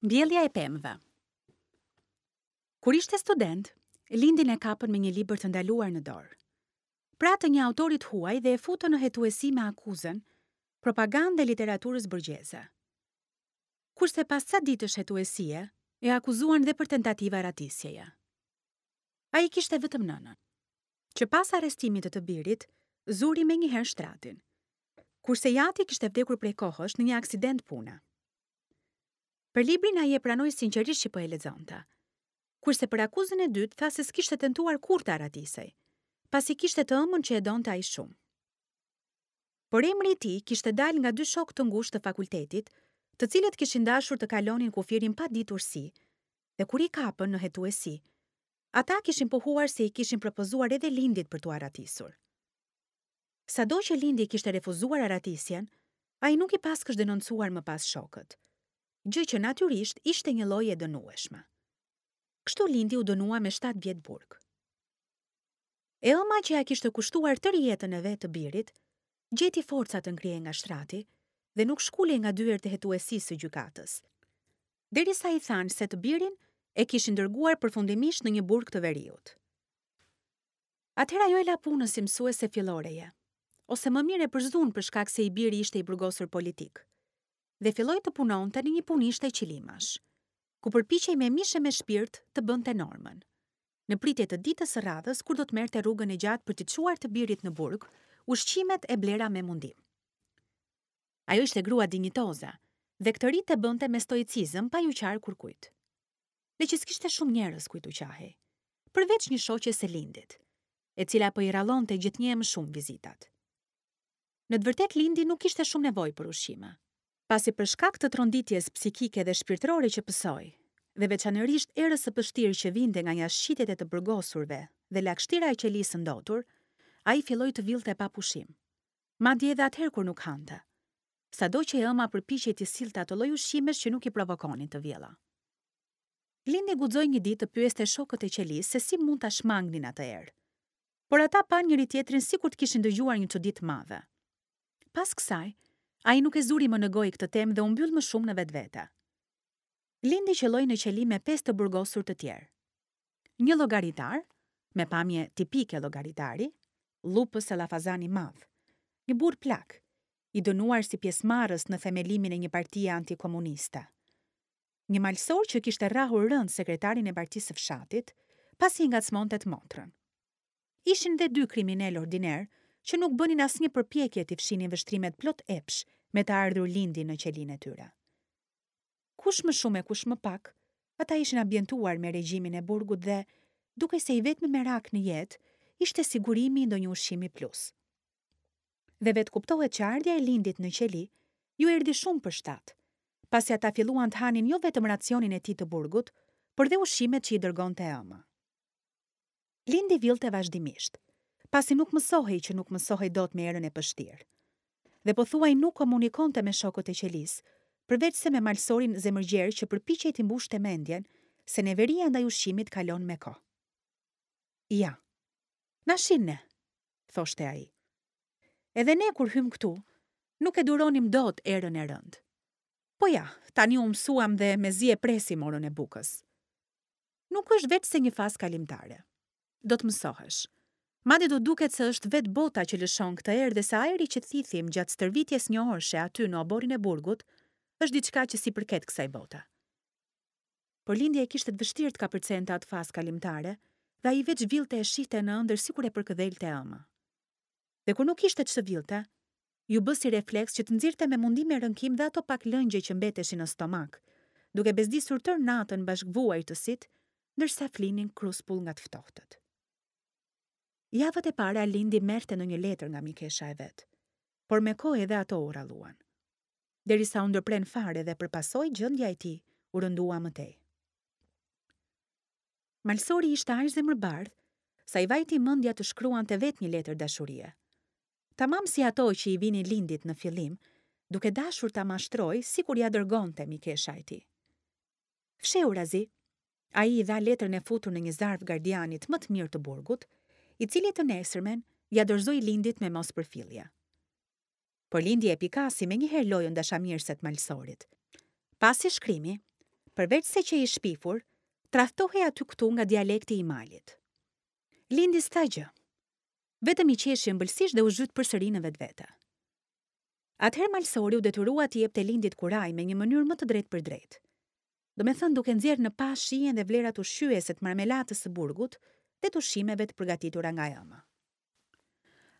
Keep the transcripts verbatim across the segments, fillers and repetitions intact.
Mbjellja e pemëve. Kur ishte student, Lindin e kapën me një libër të ndaluar në dorë. Pra të një autorit huaj dhe e futën në hetuesi me akuzën propagandë e literaturës burgjeze. Kurse pas ca ditësh hetuesie, e akuzuan dhe për tentativa arratisjeje. Ai kishte vetëm nënën, që pas arrestimit të të birit, zuri menjëherë shtratin. Kurse i ati kishte vdekur prej kohësh në një aksident pune. Për librin ai e pranoi sinqerisht që po e lexonte. Kurse për akuzën e dytë tha se s'kishte tentuar kurrë të arratisej, pasi kishte të ëmën që e donte ai shumë. Por emri i tij kishte dalë nga dy shokë të ngushtë të fakultetit, të cilët kishin dashur të kalonin kufirin pa ditur si, dhe kur i kapën në hetuesi, ata kishin pohuar se i kishin propozuar edhe Lindit për t'u arratisur. Sado që Lindi kishte refuzuar arratisjen, ai nuk i paskësh denoncuar më pas shokët, gjë që natyrisht ishte një lloj e dënueshme. Kështu Lindi u dënua me shtatë vjet burg. E ëma që ja kishte kushtuar tërë jetën e vet të birit, gjeti forca të ngrihej nga shtrati dhe nuk shkulej nga dyert e hetuesisë së gjykatës. Derisa i thanë se të birin e kishin dërguar përfundimisht në një burg të veriut. Atëherë ajo e la punën si mësuese filloreje, ose më mirë e përzun për shkak se i biri ishte i burgosur politik, dhe filloi të punonte në një punishte qilimash, ku përpiqej me mish e me shpirt të bënte normën. Në pritje të ditës së radhës kur do të merrte rrugën e gjatë për t'i çuar të birit në burg, ushqimet e blera me mundim. Ajo ishte grua dinjitoze dhe këtë rit e bënte me stoicizëm pa ju qarë kurkujt. Dhe që s'kishte shumë njerëz kujt u qahej, përveç një shoqe së Lindit, e cila po i rrallonte gjithnjë e më shumë vizitat. Në të vërtetë Lindi nuk kishte shumë nevojë për ushqime, pasi për shkak të tronditjes psikike dhe shpirtërore që pësoi, dhe veçanërisht erës së pështirë që vinte nga jashtëqitjet e të burgosurve dhe lagështira e qelisë së ndotur, ai filloi të villte pa pushim, madje edhe atëherë kur nuk hante, sado që e ëma përpiqej t'i sillte ato lloj ushqimesh që nuk i provokonin të vjella. Lindi guxoi një ditë të pyeste shokët e qelisë se si mund ta shmangnin atë erë, por ata panë njëri tjetrin sikur të kishin dëgjuar një çudi të madhe. Pas kësaj, ai nuk e zuri më në gojë këtë temë dhe u mbyll më shumë në vetvete. Lindi qelloi në qeli me pesë të burgosur të tjerë. Një llogaritar, me pamje tipike llogaritari, llupës e llafazan i madh, një burr plak, i dënuar si pjesëmarrës në themelimin e një partie antikomuniste. Një malsor që kishte rrahur rënd sekretarin e partisë së fshatit, pasi i ngacmonte të motrën. Ishin dhe dy kriminal ordiner që nuk bënin asnjë përpjekje t'i fshinin vështrimet plot epsh me të ardhur Lindi në qelinë e tyre. Kush më shumë e kush më pak, ata ishin ambientuar me regjimin e burgut dhe, duke se i vetmi merak në jetë, ishte sigurimi i ndonjë ushqimi plus. Dhe vetë kuptohet që ardhja e Lindit në qeli ju erdhi shumë për shtat, pasi ata filluan të hanin jo vetëm racionin e tij të burgut, por dhe ushqimet që i dërgonte e ëma. Lindi villte vazhdimisht, pasi nuk mësohej që nuk mësohej dot me erën e pështirë. Dhe pothuaj nuk komunikonte me shokët e qelisë, përveç se me malsorin zemërgjer që përpiqej t'i mbushte mendjen se neveria ndaj ushqimit kalon me kohë. Ja, na shin ne, thoshte ai. Edhe ne kur hym këtu, nuk e duronim dot erën e rëndë. Po ja, tani u mësuam dhe mezi e presim orën e bukës. Nuk është veç se një fazë kalimtare. Do të mësohesh. Madje do duket se është vetë bota që lëshon këtë erë dhe se ajri që thithim gjatë stërvitjes njëorëshe aty në oborrin e burgut është diçka që si përket kësaj bote. Por Lindi e kishte të vështirë të kapërcente atë fazë kalimtare dhe ai veç villte e shihte në ëndër sikur e përkëdhelte ëma. Dhe kur nuk ishte ç'të villte, ju bë si refleks që të nxirrte me mundim e rënkim dhe ato pak lëngje që mbeteshin në stomak, duke bezdisur tërë natën bashkëvuajtësit, ndërsa flinin kruspull nga të ftohtët. Javët e para Lindi merrte ndonjë letër nga mikesha e vet, por me kohë edhe ato u rralluan. Derisa u ndërpren fare dhe për pasojë gjendja e tij u rëndua më tej. Malsori ishte aq zemërbardh sa i vajti mendja të shkruante vetë një letër dashurie. Tamam si ato që i vinin Lindit në fillim, duke dashur ta mashtroj sikur ja dërgonte mikesha e tij. Fshehurazi, ai i dha letrën e futur në një zarf gardianit më të mirë të burgut, i cili të nesërmen ja dorëzoi Lindit me mospërfillje. Por Lindi e pikasi me njëherë lojën dashamirëse të malsorit. Pasi shkrimi, Përveç se qe i shpifur, tradhtohej aty këtu nga dialekti i malit. Lindi s'tha gjë. Vetëm i qeshi ëmbëlsisht dhe u zhyt përsëri në vetvete. Atëherë malsori u detyrua t'i jepte Lindit kurajë me një mënyrë më të drejtpërdrejtë. Domethënë duke nxjerrë në pah shijen dhe vlerat ushqyese të marmelatës së burgut dhe të ushqimeve të përgatitura nga e ëma.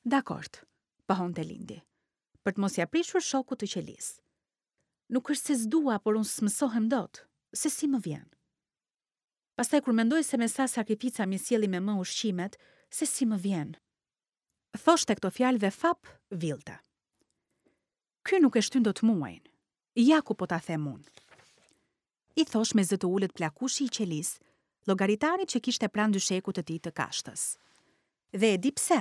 Dakord, pohonte Lindi, për të mos ia prishur shokut të qelisë. Nuk është se s'dua, por unë s'mësohem dot, se si më vjen. Pastaj kur mendoj se me sa sakrifica m'i sjellin me më ushqimet, se si më vjen. Thoshte këto fjalë dhe fap villte. Ky nuk e shtyn dot muajin. Ja ku po ta them unë. I thosh me zë të ulët plakushi i qelisë, llogaritarit që kishte pranë dyshekut të tij të kashtës. Dhe e di pse?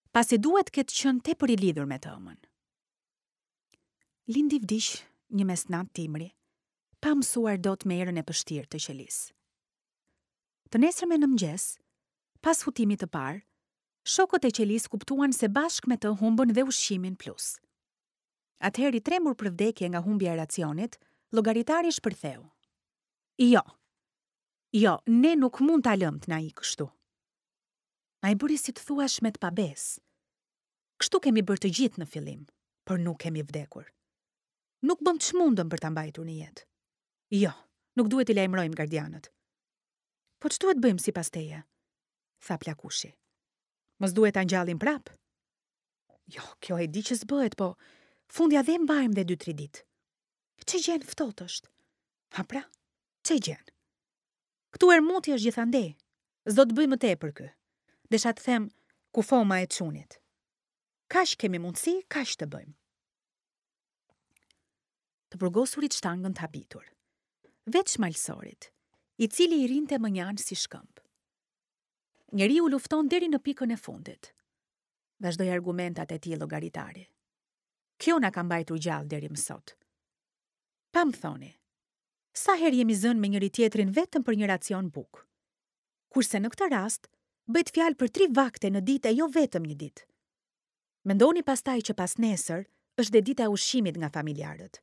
Pasi duhet të ketë qenë tepër i lidhur me të ëmën. Lindi vdiq një mesnatë dimri, pa mësuar dot me erën e pështirë të qelisë. Të nesërmen në mëngjes, pas hutimit të parë, shokët e qelisë kuptuan se bashkë me të humbën dhe ushqimin plus. Atëherë i trembur për vdekje nga humbja e racionit, llogaritari shpërtheu. Jo, jo, ne nuk mund ta lëmë të na ikë kështu. Ai bëri si të thuash me të pabesë. Kështu kemi bërë të gjithë në fillim, por nuk kemi vdekur. Nuk bëm ç'mundëm për ta mbajtur në jetë. Jo, nuk duhet t'i lajmërojmë gardianët. Po ç'duhet bëjmë sipas teje? Tha plakushi. Mos duhet ta ngjallim prap? Jo, kjo e di që s'bëhet, po fundja dhe mbajmë dhe dy tri ditë. Ç'e gjen ftohtë është? Ha pra, ç'e gjen? Këtu erë muti është gjithandej. S'do të bëj më tepër ky. Desha të them kufoma e çunit. Kaq kemi mundësi, kaq të bëjmë. Të burgosurit shtangën të habitur. Veç malsorit, i cili i rinte më njanë si shkëmb. Njeriu lufton deri në pikën e fundit. Vazhdoi argumentat e tij llogaritari. Kjo na ka mbajtur gjallë deri më sot. Pa më thoni, sa herë jemi zënë me njëri tjetrin vetëm për një racion bukë. Kurse në këtë rast, bëhet fjalë për tri vakte në ditë e jo vetëm një ditë. Mendoni pastaj që pas nesër është dhe dita e ushqimit nga familjarët.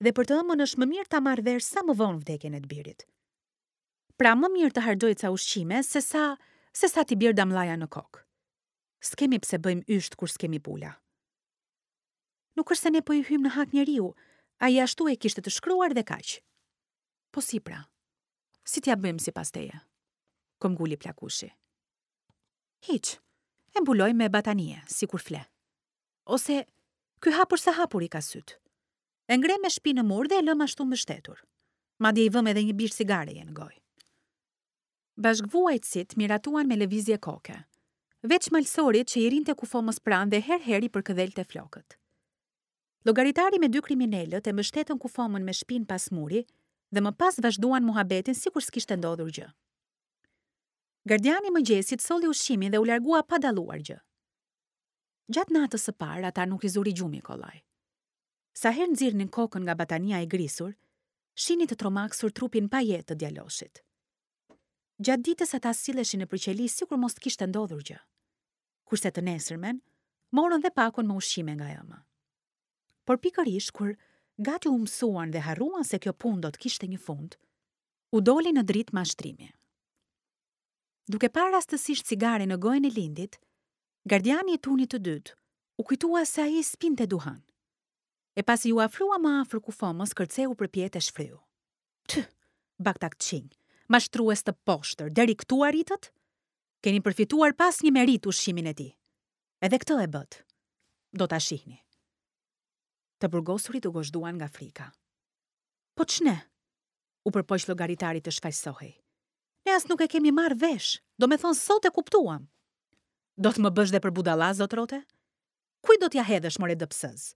Dhe për të ëmën është më mirë ta marrë vesh sa më vonë vdekjen e të birit. Pra më mirë të harxojë ca ushqime se sa, se sa t'i bjerë damllaja në kokë. S'kemi pse bëjmë ysht kur s'kemi pula. Nuk është se ne po i hyjmë në hak njeriu, ai ashtu e kishte të shkruar dhe kaq. Po si pra? Si t'ja bëjmë sipas teje? Këmbguli plakushi. Hiç, e mbulojmë me batanije, sikur fle. Ose, ky hapur sa hapur i ka syt. E ngre me shpinë në mur dhe e lëm ashtu mbështetur. Madje i vëm edhe një bisht cigareje në gojë. Bashkëvuajtësit miratuan me lëvizje koke, veç malsorit që i rinte kufomës pranë dhe her her i përkëdhelte flokët. Llogaritari me dy kriminelët e mbështetën kufomën me shpinë pas muri dhe më pas vazhduan muhabetin sikur s'kishte ndodhur gjë. Gardiani i mëngjesit solli ushqimin dhe u largua pa dalluar gjë. Gjatë natës së parë ata nuk i zuri gjumi kollaj. Sa herë nxirrnin kokën nga batania e grisur, shihnin të tromaksur trupin pa jetë të djaloshit. Gjatë ditës ata silleshin nëpër qeli sikur mos të kishte ndodhur gjë. Kurse të nesërmen, morën dhe pakon me ushqime nga e ëma. Por pikërisht kur gati u mësuan dhe harruan se kjo punë do të kishte një fund, u doli në dritë mashtrimi. Duke parë rastësisht cigare në gojën e Lindit, gardiani i turnit të dytë u kujtua se ai s'pinte duhan. E pasi ju afrua më afër kufomës, kërceu përpjetë e shfryu. Ty, baktakçinj, mashtrues të poshtër, deri këtu arritët? Keni përfituar pas një merit ushqimin e tij. Edhe këtë e bët. Do ta shihni. Të burgosurit u gozhduan nga frika. Po ç'ne? U përpoq llogaritari të shfajsohej. Ne as nuk e kemi marrë vesh, do me thonë sot e kuptuam. Do të më bësh dhe për budalla, zotrote? Kujt do t'ja hedhësh, more dëpsëz?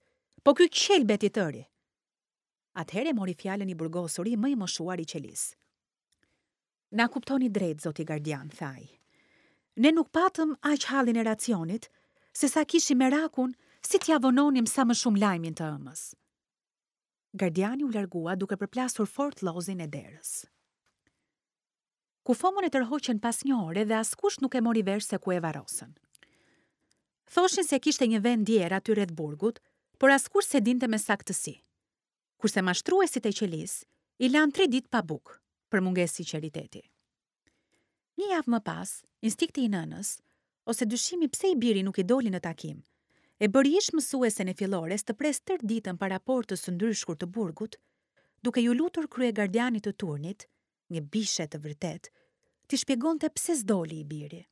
Po ky qelbet i tëri. Atëherë mori fjalën i burgosuri më i moshuar i qelisë. Na kuptoni drejt, zoti gardian, tha ai. Ne nuk patëm aq hallin e racionit, se sa kishim merakun si t'ja vononim sa më shumë lajmin të ëmës. Gardiani u largua duke përplasur fort llozin e derës. Kufomën e tërhoqën pas një ore dhe askush nuk e mori vesh se ku e varrosën. Thoshin se kishte një vend djerë aty rreth burgut, por askush se dinte me saktësi. Kurse mashtruesit e qelisë I lanë tri ditë pa bukë, për mungesë sinqeriteti. Një javë më pas, instinkti i nënës, ose dyshimi pse i biri nuk i doli në takim, e bëri ish mësuesen e fillores të presë tërë ditën para portës së ndryshkur të burgut, duke ju lutur kryegardianit të turnit, një bishe të vërtet, t'i shpjegonte pse s'doli i biri.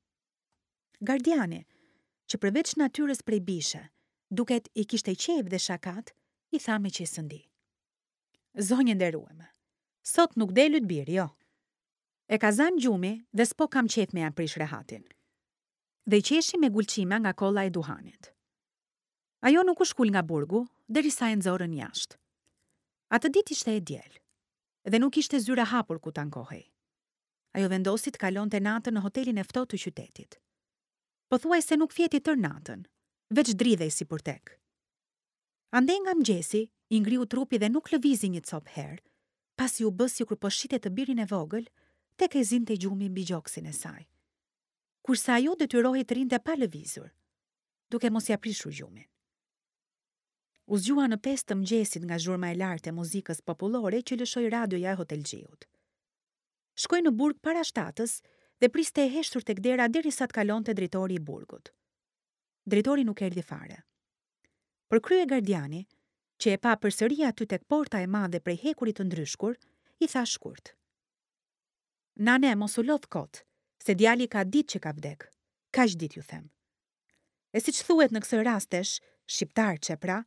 Gardiani, që përveç natyrës prej bishe, duket i kishte qejf dhe shakat, i tha me qesëndi. Zonjë nderueme, sot nuk del yt biri, jo. E ka zanë gjumi dhe s'po kam qejf me ja prish rehatin. Dhe qeshi me gulçima nga kolla e duhanit. Ajo nuk u shkul nga burgu, derisa e nxorën jashtë. Atë ditë ishte e diel, dhe nuk ishte zyra hapur ku t'ankohej. Ajo vendosi të kalonte natën në hotelin e ftohtë të qytetit. Pothuajse nuk fjeti tërë natën, veç dridhej si purtek. Andej nga mëngjesi, i ngriu trupi dhe nuk lëvizi një copë herë, pasi u bë sikur po shihte të birin e vogël, tek e zinte gjumi mbi gjoksin e saj. Kurse ajo detyrohej të rinte pa lëvizur, duke mos ja prishur gjumin. U zgjua në pesë të mëngjesit nga zhurma e lartë e muzikës popullore që lëshoi radioja e hotelxhiut. Shkoi në burg para shtatës dhe priste e heshtur tek dera derisa të kalonte drejtori i burgut. Drejtori nuk erdhi fare. Por kryegardiani, që e pa përsëri aty tek porta e madhe prej hekurit të ndryshkur, i tha shkurt. Nane, mos u lodh kot, se djali ka ditë që ka vdek. Kaq ditë ju them. E siç thuhet në këso rastesh, shqiptarçe pra,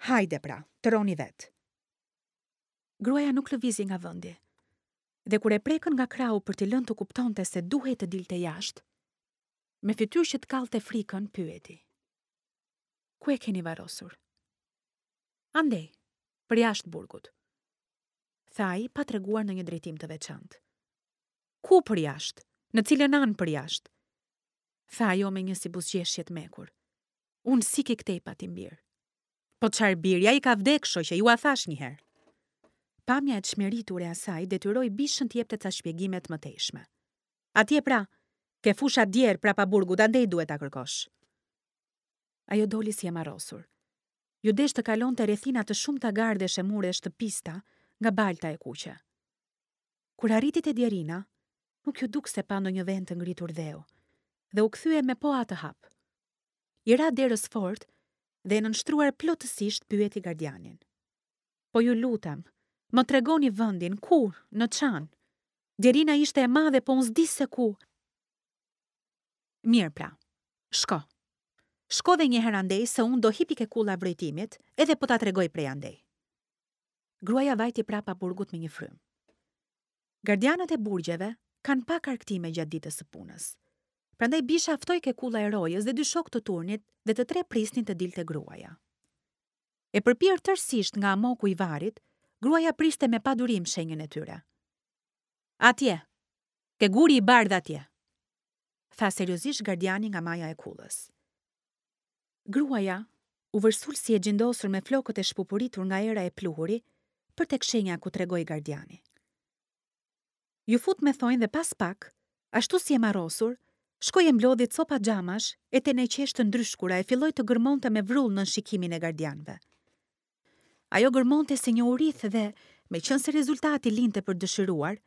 hajde pra, të roni vet. Gruaja nuk lëvizi nga vendi. Dhe kur e prekën nga krahu për t'i lënë të kuptonte se duhej të dilte jashtë, me fytyrë që të kallte frikën, pyeti. Ku e keni varrosur? Andej, për jashtë burgut. Tha ai pa treguar në një drejtim të veçantë. Ku për jashtë? Në cilën anë për jashtë? Tha ajo me një si buzëqeshje të mekur. Unë si ki këtej pa tim bir. Po çfarë biri, ai ka vdek, shoqe, ju a thash një herë. Pamja e çmeritur e asaj detyroi bishën të jepte ca shpjegime të mëtejshme. Atje pra, ke fusha djerë prapa burgut, andej duhet ta kërkosh. Ajo doli si e marrosur. Ju desh të kalonte rrethina të shumta gardesh e muresh të pista nga balta e kuqe. Kur arriti te djerina, nuk ju duk se pa ndonjë vend të ngritur dheu, dhe u kthye me po atë hap. I ra derës fort dhe e nënshtruar plotësisht pyeti gardianin. Po ju lutem, më tregoni vendin, ku, në çan. Djerina ishte e madhe, po unë s'di se ku. Mirë pra, shko. Shko dhe një herë andej se unë do hipi ke kulla vrojtimit, edhe po ta tregoj prej andej. Gruaja vajti prapa burgut me një frymë. Gardianët e burgjeve kanë pak arktime gjatë ditës së punës. Prandaj bisha ftoi ke kulla e rojës dhe dy shokë të turnit dhe të tre prisnin të dilte gruaja. E përpirë tërësisht nga amoku i varit, gruaja priste me padurim shenjën e tyre. Atje, ke guri i bardh atje, tha seriozisht gardiani nga maja e kullës. Gruaja u vërsul si e gjindosur me flokët e shpupuritur nga era e pluhuri për tek shenja ku tregoi gardiani. Ju fut me thonjë dhe pas pak, ashtu si e marrosur, shkoi e mblodhi copa xhamash e teneqesh të ndryshkura e filloi të gërmonte me vrull nën shikimin e gardianëve. Ajo gërmonte si një urith dhe, meqense rezultati linte për dëshiruar,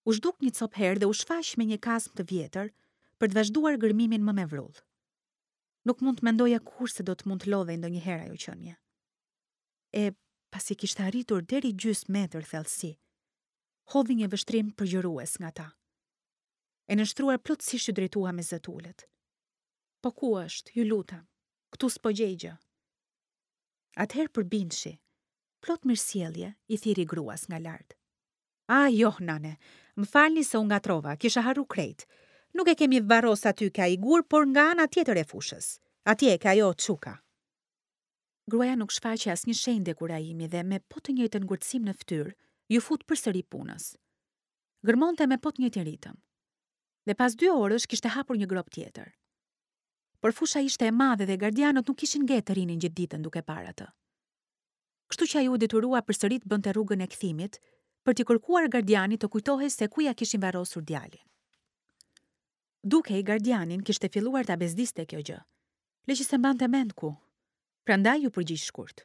u zhduk një copë herë dhe u shfaq me një kasm të vjetër për të vazhduar gërmimin më me vrull. Nuk mund të mendoja kur se do të mund të lodhej ndonjëherë ajo qenie. E pasi kishte arritur deri gjysmë metër thellësi, hodhi një vështrim përgjërues nga ta. E nënshtruar plotësisht ju drejtua me zë të ulët. Po ku është, ju lutem, këtu s'po gjej gjë. Atëherë përbindshi, plot mirësjellje, i thirri gruas nga lart. A, jo, nane, më falni se u ngatrova, kisha harru krejt. Nuk e kemi varros aty ke ai gur, por nga ana tjetër e fushës. Atje ke ajo çuka. Gruaja nuk shfaqi asnjë shenjë dekurajimi dhe me po të njëjtën ngurtësim në fytyrë, ju fut përsëri punës. Gërmonte me po të njëjtin ritëm. Dhe pas dy orësh kishte hapur një grop tjetër. Por fusha ishte e madhe dhe gardianët nuk kishin ngetë të rinin gjithë ditën duke parë atë. Kështu që ai u detyrua përsëri të bënte rrugën e kthimit për t'i kërkuar gardianit të kujtohej se ku ja kishin varrosur djalin. Dukej gardianin kishte filluar ta bezdiste kjo gjë, le që se mbante mend ku. Prandaj ju përgjigj shkurt.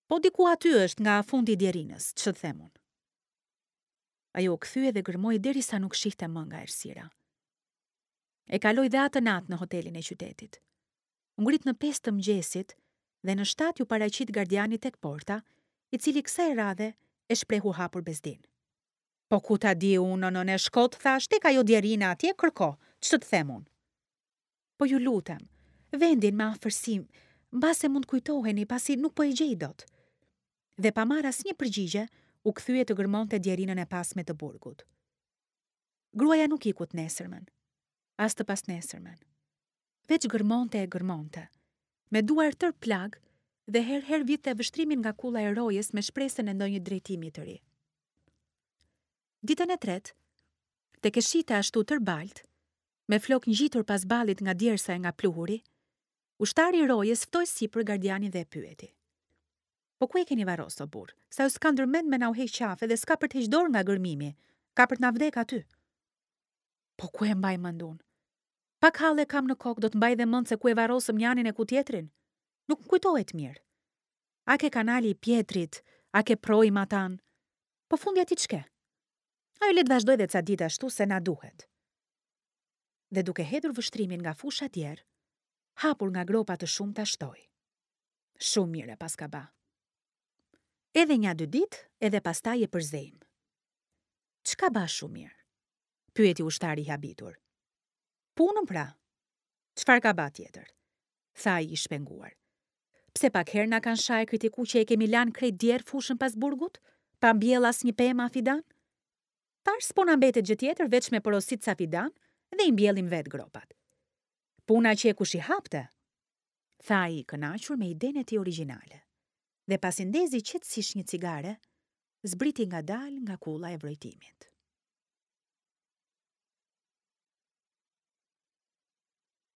Po diku aty është nga fundi i djerinës, ç'të them unë. Ajo u kthye dhe gërmoi derisa nuk shihte më nga errësira. E kaloi dhe atë natë në hotelin e qytetit. U ngrit në pesë të mëngjesit dhe në shtatë ju paraqit gardiani tek porta, i cili kësaj radhe e shprehu hapur bezdin. Po ku ta di unë, nënë e shkot, thash, tek ajo djerina atje, kërko, ç'të të them unë? Po ju lutem, vendin me afërsi, mbase mund kujtoheni, pasi nuk po e gjej dot. Dhe pa marrë asnjë përgjigje, u kthye të gërmonte djerinën e pasme të burgut. Gruaja nuk iku të nesërmen, as të pasnesërmen. Veç gërmonte e gërmonte, me duar tër plagë dhe her her vidhte vështrimin nga kulla e rojes me shpresën e ndonjë drejtimi të ri. Ditën e tretë, tek e shihte ashtu tër balt, me flok ngjitur pas ballit nga djersa e nga pluhuri, ushtari i rojes ftoi sipër gardianin dhe e pyeti. Po ku e keni varros, o burr? Sa ju s'ka ndërmend me na u heq qafe dhe s'ka për të heq dorë nga gërmimi, ka për të na vdek aty. Po ku e mbaj mend unë? Pak halle kam në kokë, do të mbaj dhe mend se ku e varrosëm njanin e ku tjetrin. Nuk më kujtohet mirë. A ke kanali i Pjetrit, a ke proi matan? Po fundja ti ç'ke? Ajo le të vazhdoj dhe ca ditë ashtu se na duhet. Dhe duke hedhur vështrimin nga fusha tjerë, hapur nga gropa të shumta shtoi. Shumë mirë e paska ba. Edhe nja dy ditë, edhe pastaj e përzejm. Ç'ka ba shumë mirë? Pyeti ushtari i habitur. Punën pra. Çfarë ka ba tjetër? Tha ai i shpenguar. Pse pak herë na kanë sha e kritiku që e kemi lanë krejt djerë fushën pas burgut, pa mbjell asnjë pemë a fidan? Tash s'po na mbetet gjë tjetër veç me porosit ca fidan dhe i mbjellim vetë gropat. Puna që e kush i hapte, tha ai i kënaqur me idenë e tij origjinale. Dhe pasi ndezi qetësisht një cigare, zbriti ngadalë nga kulla e vrojtimit.